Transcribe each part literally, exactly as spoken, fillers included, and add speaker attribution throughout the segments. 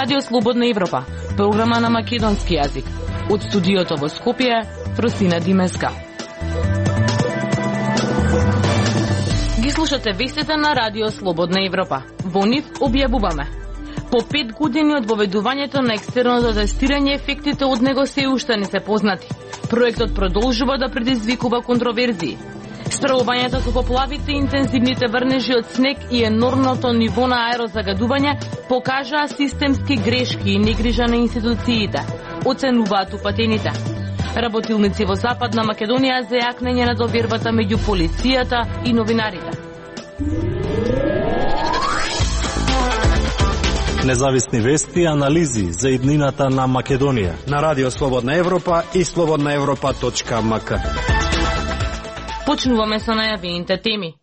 Speaker 1: Радио Слободна Европа, програма на македонски јазик. Од студиото во Скопје, Фросина Димеска. Ги слушате вестите на Радио Слободна Европа. Во нив објавуваме: по пет години од воведувањето на екстерното тестирање, ефектите од него се уште не се познати. Проектот продолжува да предизвикува контроверзии. Справувањето со поплавите, интензивните врнежи од снег и енормното ниво на аерозагадување покажаа системски грешки и негрижа на институциите, оценуваат упатените. Работилници во Западна Македонија за јакнење на довербата меѓу полицијата и новинарите.
Speaker 2: Независни вести и анализи за иднината на Македонија
Speaker 3: на Радио Слободна Европа и слободна европа точка ем ка.
Speaker 1: Почнуваме со најавените теми.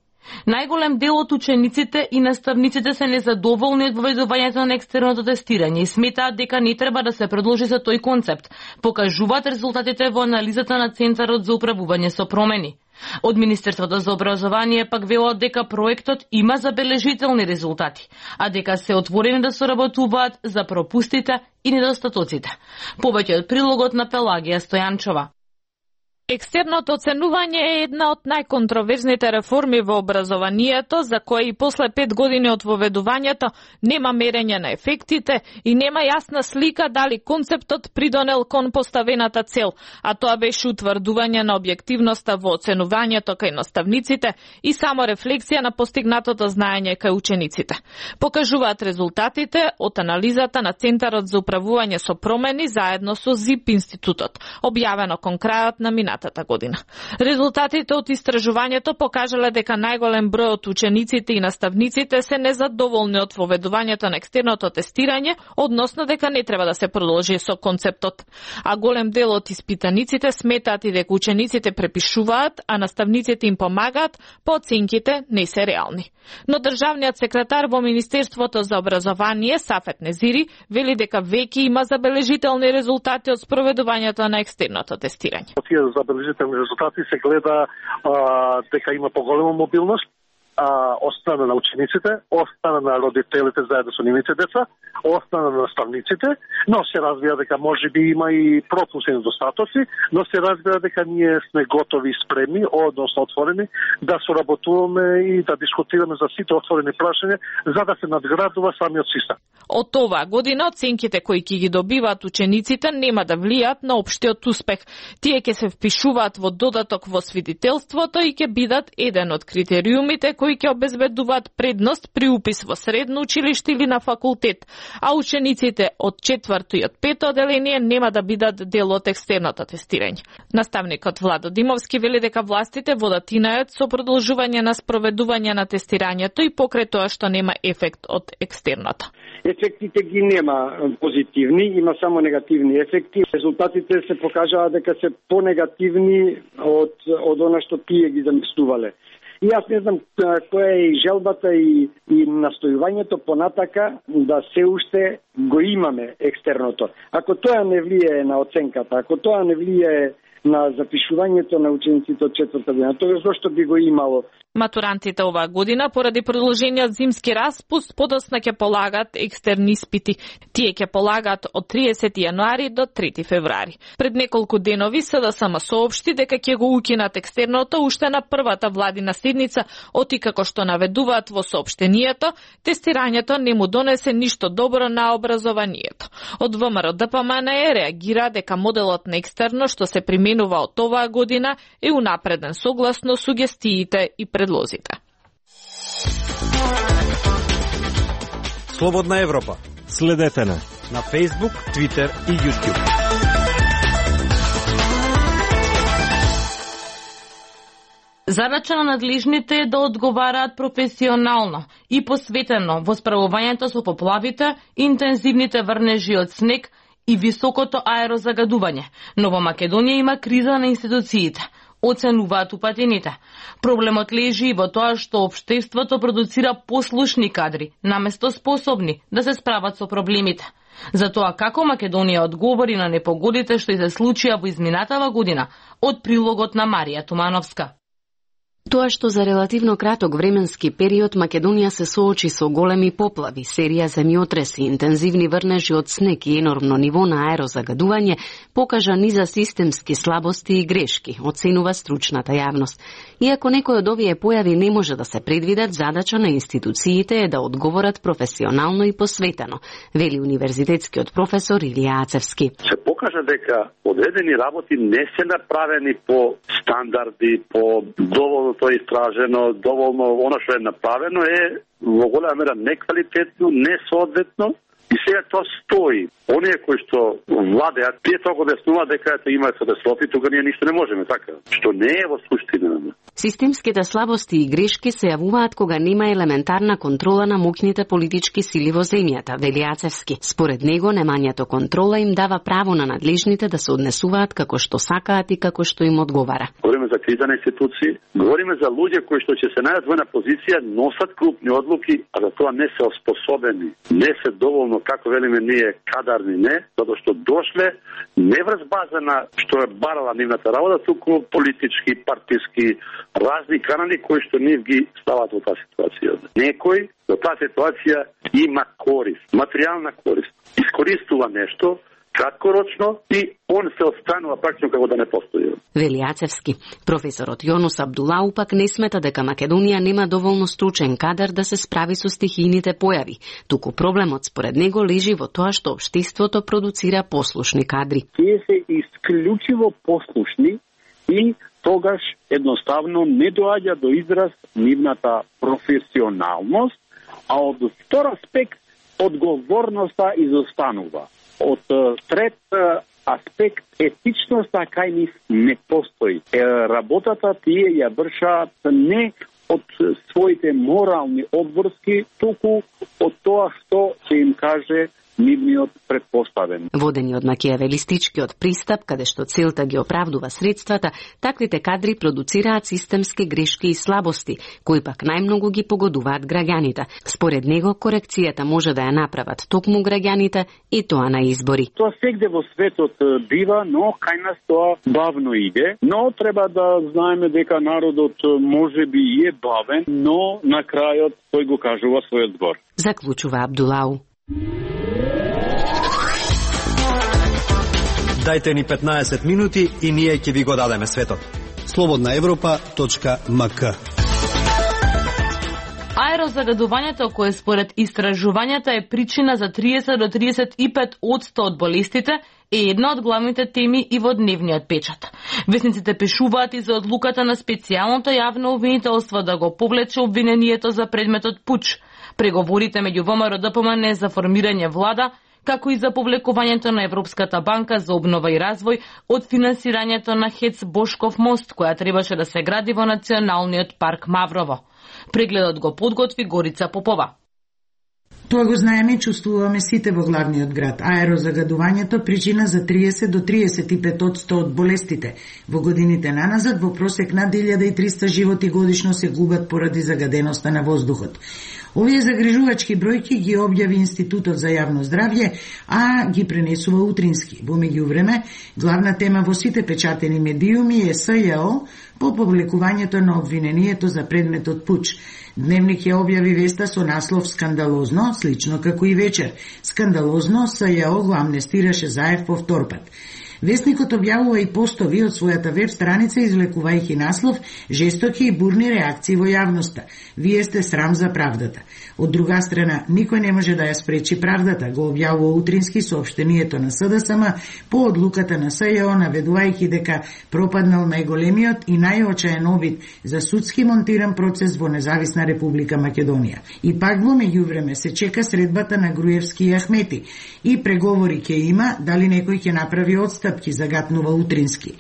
Speaker 1: Најголем дел од учениците и наставниците се незадоволни од воведувањето на екстерното тестирање и сметаат дека не треба да се продолжи за тој концепт, покажуваат резултатите во анализата на Центарот за управување со промени. Од Министерството за образование пак велат дека проектот има забележителни резултати, а дека се отворени да соработуваат за пропустите и недостатоците. Повеќе од прилогот на Пелагија Стојанчова.
Speaker 4: Екстерното оценување е една од најконтроверзните реформи во образованието, за која и после пет години од воведувањето нема мерење на ефектите и нема јасна слика дали концептот придонел кон поставената цел, а тоа беше утврдување на објективноста во оценувањето кај наставниците и само рефлексија на постигнатото знаење кај учениците. Покажуваат резултатите од анализата на Центарот за управување со промени заедно со ЗИП институтот, објавено кон крајот на минатата година. Резултатите од истражувањето покажале дека најголем број од учениците и наставниците се незадоволни од воведувањето на екстерното тестирање, односно дека не треба да се продолжи со концептот. А голем дел од испитаниците сметаат и дека учениците препишуваат, а наставниците им помагаат, по оценките не се реални. Но државниот секретар во Министерството за образование Сафет Незири вели дека веќе има забележителни резултати од спроведувањето на екстерното тестирање.
Speaker 5: Забележителни резултати се гледа а, дека има поголема мобилност а, од страна на учениците, од страна на родителите заедно со нивните деца, од страна на наставниците, но се разбира дека може би има и пропуски и недостатоци, но се разбира дека ние сме готови и спремни, односно отворени, да соработуваме и да дискутираме за сите отворени прашања, за да се надградува самиот систем.
Speaker 4: Од оваа година оценките кои ќе ги добиваат учениците нема да влијат на општиот успех. Тие ќе се впишуваат во додаток во свидетелството и ќе бидат еден од критериумите кои ќе обезбедуваат предност при упис во средно училиште или на факултет, а учениците од четврто и од пето оделение нема да бидат дел од екстерното тестирање. Наставникот Владо Димовски вели дека властите водат инајот со продолжување на спроведување на тестирањето и покрај тоа што нема ефект од екстерното.
Speaker 6: Ефектите ги нема позитивни, има само негативни ефекти. Резултатите се покажаа дека се понегативни од од она што тие ги замислувале. И јас не знам која е и желбата и, и настојувањето понатака да се уште го имаме екстерното. Ако тоа не влијае на оценката, ако тоа не влијае на запишувањето на учениците од четврта година, тоа зошто би го имало?
Speaker 4: Матурантите оваа година, поради продолжениот зимски распуст, подоцна ќе полагат екстерни испити. Тие ќе полагаат од триесети јануари до трети февруари. Пред неколку денови СДСМ соопшти дека ќе го укинат екстерното уште на првата владина седница, оти како што наведуваат во соопштението, тестирањето не му донесе ништо добро на образованието. Од ВМРО Д П М Н Е реагира дека моделот на екстерно што се применува од оваа година е унапреден согласно сугестиите и предлозите.
Speaker 3: Слободна Европа.
Speaker 2: Следете на
Speaker 3: на Facebook, Twitter и YouTube.
Speaker 1: Задача на надлежните е да одговараат професионално и посветено во справувањето со поплавите, интензивните врнежи од снег и високото аерозагадување. Но во Македонија има криза на институциите, оценуваат упатените. Проблемот лежи и во тоа што општеството продуцира послушни кадри, наместо способни да се справат со проблемите. Затоа како Македонија одговори на непогодите што и се случија во изминатава година, од прилогот на Марија Тумановска.
Speaker 7: Тоа што за релативно краток временски период Македонија се соочи со големи поплави, серија земјотреси, интензивни врнежи од снег и енормно ниво на аерозагадување, покажа низа системски слабости и грешки, оценува стручната јавност. Иако некој од овие појави не може да се предвидат, задача на институциите е да одговорат професионално и посветено, вели универзитетскиот професор Илија Ацевски.
Speaker 8: Се покажа дека одредени работи не се направени по стандарди, по доволно тоа е истражено, доволно оно што е направено е во голема мера неквалитетно, несоодветно и сега тоа стои. Оние кои што владеат, тие тоа го објаснуваат дека ето има катастрофи, тука ние ништо не можеме, така, што не е во суштина.
Speaker 7: Системските слабости и грешки се јавуваат кога нема елементарна контрола на моќните политички сили во земјата, вели Ацевски. Според него, немањето контрола им дава право на надлежните да се однесуваат како што сакаат и како што им одговара.
Speaker 8: Говориме за криза на институции, говориме за луѓе кои што ќе се најдат во една позиција, носат крупни одлуки, а за тоа не се оспособени, не се доволно, како велиме ние, кадарни, не, затоа што дошле не врз база на што е барала нивната работа, туку политички, партиски, разни канали кои што нив ги стават во таа ситуација. Некој во таа ситуација има корист, материјална корист. Искористува нешто краткорочно и он се останува практично како да не постои.
Speaker 7: Вели Ацевски. Професорот Јонус Абдулау пак не смета дека Македонија нема доволно стручен кадар да се справи со стихијните појави. Туку проблемот според него лежи во тоа што општеството продуцира послушни кадри.
Speaker 9: Тие се исклучиво послушни и тогаш едноставно не доаѓа до израз нивната професионалност, а од втор аспект одговорноста изостанува. Од трет аспект етичноста кај нив не постои. Работата тие ја вршаат не од своите морални обврски, туку од тоа што се им каже нивниот предпоставен.
Speaker 7: Водени од макијавелистичкиот пристап, каде што целта ги оправдува средствата, таквите кадри продуцираат системски грешки и слабости, кои пак најмногу ги погодуваат граѓаните. Според него, корекцијата може да ја направат токму граѓаните и тоа на избори.
Speaker 9: Тоа сегде во светот бива, но кај нас тоа бавно иде, но треба да знаеме дека народот може би е бавен, но на крајот тој го кажува својот збор.
Speaker 7: Заклучува Абдулау.
Speaker 3: Дајте ни петнаесет минути и ние ќе ви го дадеме светот. слободна европа точка ем ка.
Speaker 1: Аерозагадувањето, кое според истражувањата е причина за триесет до триесет и пет одсто од болестите, е една од главните теми и во дневниот печат. Весниците пишуваат и за одлуката на специјалното јавно обвинителство да го повлече обвинението за предметот пуч, преговорите меѓу ВМРО Д П М Н за формирање влада, како и за повлекувањето на Европската банка за обнова и развој од финансирањето на ХЕЦ Бошков мост, која требаше да се гради во Националниот парк Маврово. Прегледот го подготви Горица Попова.
Speaker 10: Тоа го знаеме и чувствуваме сите во главниот град. Аерозагадувањето причина за триесет до триесет и пет одсто од болестите. Во годините наназад во просек над илјада и триста животи годишно се губат поради загаденоста на воздухот. Овие загрижувачки бројки ги објави Институтот за јавно здравје, а ги пренесува утрински. Во меѓувреме, главна тема во сите печатени медиуми е С Ј О по публикувањето на обвинението за предметот пуч. Дневник ја објави веста со наслов «Скандалозно», слично како и вечер. Скандалозно, С Ј О го амнестираше Заев по втор пат. Весникот објавува и постови од својата веб страница, извлекувајќи наслов «Жестоки и бурни реакции во јавноста. Вие сте срам за правдата». Од друга страна, никој не може да ја спречи правдата, го објавува утрински соопштението на С Д С М по одлуката на С Ј О, наведувајќи дека пропаднал најголемиот и најочаен обид за судски монтиран процес во Независна Република Македонија. И пак во меѓувреме се чека средбата на Груевски и Ахмети и преговори ќе има, дали некој ќе направи одстапки, загатнува утрински.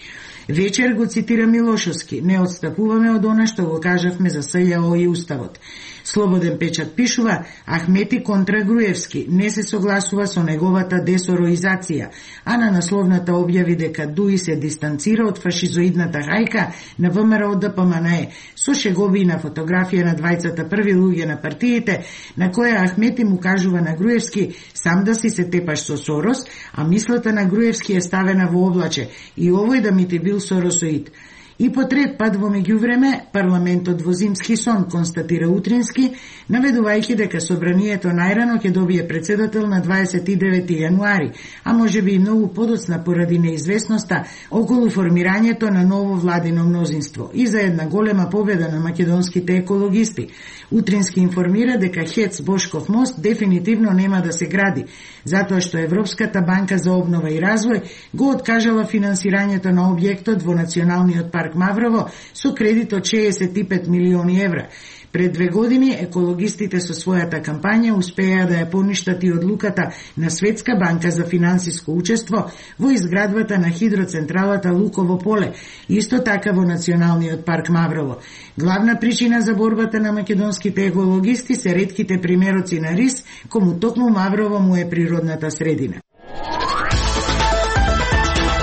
Speaker 10: Вечер го цитира Милошовски: «Не отстапуваме од она што го кажавме за С Ј О и Уставот». Слободен печат пишува: Ахмети контра Груевски не се согласува со неговата десороизација, а на насловната објави дека Дуи се дистанцира од фашизоидната хајка на В М Р О Д П М Н Е со шегови на фотографија на двајцата први луѓе на партиите, на која Ахмети му кажува на Груевски: сам да си се тепаш со Сорос, а мислата на Груевски е ставена во облаче: и овој да ми ти бил Соросоид. И по трет пат во меѓувреме, парламентот во зимски сон, констатира Утрински, наведувајќи дека собранието најрано ќе добие председател на дваесет и девети јануари, а може би и многу подоцна поради неизвестноста околу формирањето на ново владино мнозинство и за една голема победа на македонските екологисти. Утрински информира дека ХЕЦ Бошков мост дефинитивно нема да се гради, затоа што Европската банка за обнова и развој го откажала финансирањето на објектот во Националниот парк Маврово со кредит од шеесет и пет милиони евра. Пред две години екологистите со својата кампања успеа да ја поништат и одлуката на Светска банка за финансиско учество во изградбата на хидроцентралата Луково поле, исто така во Националниот парк Маврово. Главна причина за борбата на македонските екологисти се ретките примероци на рис, кому токму Маврово му е природната средина.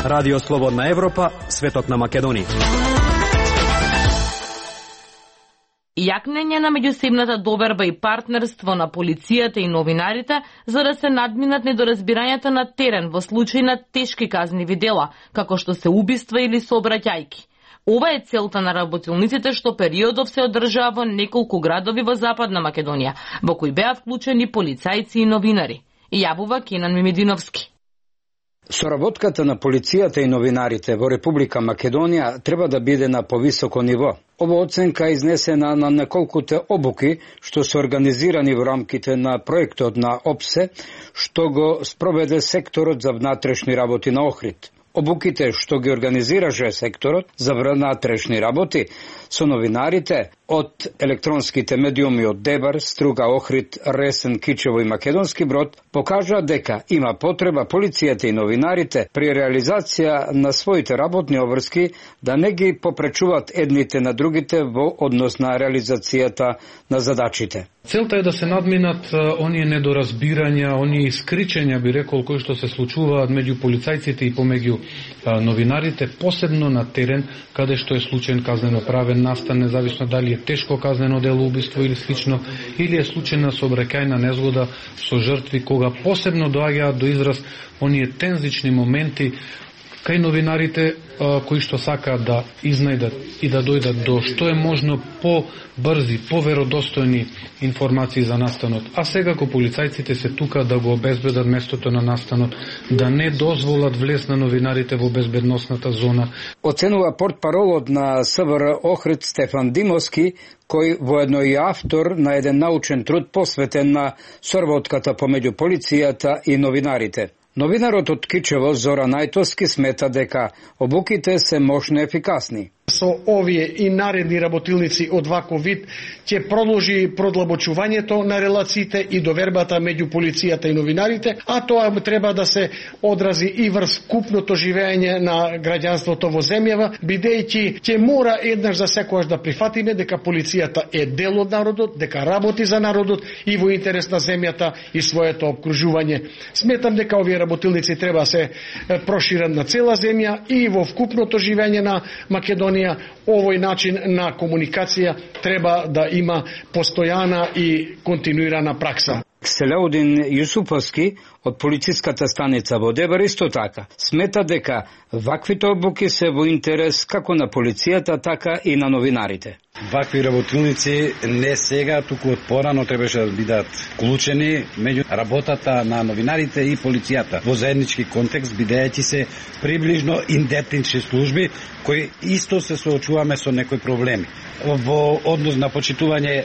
Speaker 3: Радио Слободна Европа, светот на Македонија.
Speaker 1: Јакнење на меѓусебната доверба и партнерство на полицијата и новинарите за да се надминат недоразбирањата на терен во случај на тешки казниви дела, како што се убиства или сообраќајки. Ова е целта на работилниците што периодов се одржаа во неколку градови во Западна Македонија, во кои беа вклучени полицајци и новинари. Јавува Кенан Мимединовски.
Speaker 11: Соработката на полицијата и новинарите во Република Македонија треба да биде на повисоко ниво. Ова оценка е изнесена на неколкуте обуки што се организирани во рамките на проектот на ОПСЕ, што го спроведе секторот за внатрешни работи на Охрид. Обуките што ги организираше секторот за внатрешни работи со новинарите од електронските медиуми од Дебар, Струга, Охрид, Ресен, Кичево и Македонски Брод покажа дека има потреба полицијата и новинарите при реализација на своите работни обврски да не ги попречуваат едните на другите во однос на реализацијата на задачите.
Speaker 12: Целта е да се надминат оние недоразбирања, оние искричења, би рекол, кои што се случуваат меѓу полицајците и помеѓу новинарите, посебно на терен, каде што е случаен казнено-правен настан, независно дали е тешко казнено дело, убиство или слично, или е случајна сообраќајна незгода со жртви, кога посебно доаѓаат до израз оние тензични моменти кај новинарите кои што сакаат да изнајдат и да дојдат до што е можно по-брзи, поверодостојни информации за настанот. А секако полицајците се тука да го обезбедат местото на настанот, да не дозволат влез на новинарите во безбедносната зона.
Speaker 11: Оценува портпаролот на СВР Охрид Стефан Димовски, кој воедно и автор на еден научен труд посветен на соработката помеѓу полицијата и новинарите. Новинарот од Кичево Зора Најтовски смета дека обуките се мощно ефикасни.
Speaker 13: Со овие и наредни работилници од ваков вид ќе продолжи продлабочувањето на релациите и довербата меѓу полицијата и новинарите, а тоа треба да се одрази и врз купното живење на граѓанството во земјава, бидејќи ќе мора еднаш за секогаш да прифатиме дека полицијата е дел од народот, дека работи за народот и во интерес на земјата и своето обкружување. Сметам дека овие работилници треба да се прошират на цела земја и во вкупното живење на Македонија. Овој начин на комуникација треба да има постојана и континуирана пракса.
Speaker 11: Селеудин Јусуповски од полициската станица во Дебар исто така смета дека ваквите обуки се во интерес како на полицијата, така и на новинарите.
Speaker 14: Вакви работилници не сега, туку од порано требаше да бидат вклучени меѓу работата на новинарите и полицијата во заеднички контекст, бидејќи се приближно идентични служби кои исто се соочуваме со некои проблеми во однос на почитување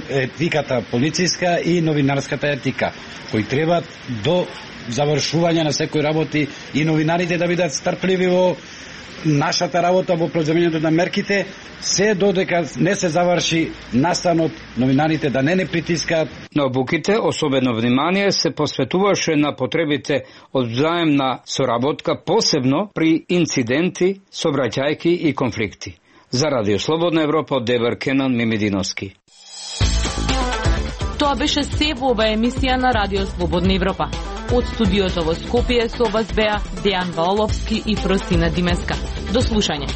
Speaker 14: етиката полициска и новинарската етика, кои треба до завршување на секои работи и новинарите да бидат стрпливи во нашата работа во преземањето на мерките, се додека не се заврши настанот, новинарите да не не притискаат.
Speaker 11: На обуките особено внимание се посветуваше на потребите од взаемна соработка, посебно при инциденти, сообраќајки и конфликти. За Радио Слободна Европа од Дебар Кенан Мимединовски.
Speaker 1: Тоа беше се во ова емисија на Радио Слободна Европа. Од студиото во Скопје со вас беа Дејан Ваоловски и Просина Димеска. До слушање.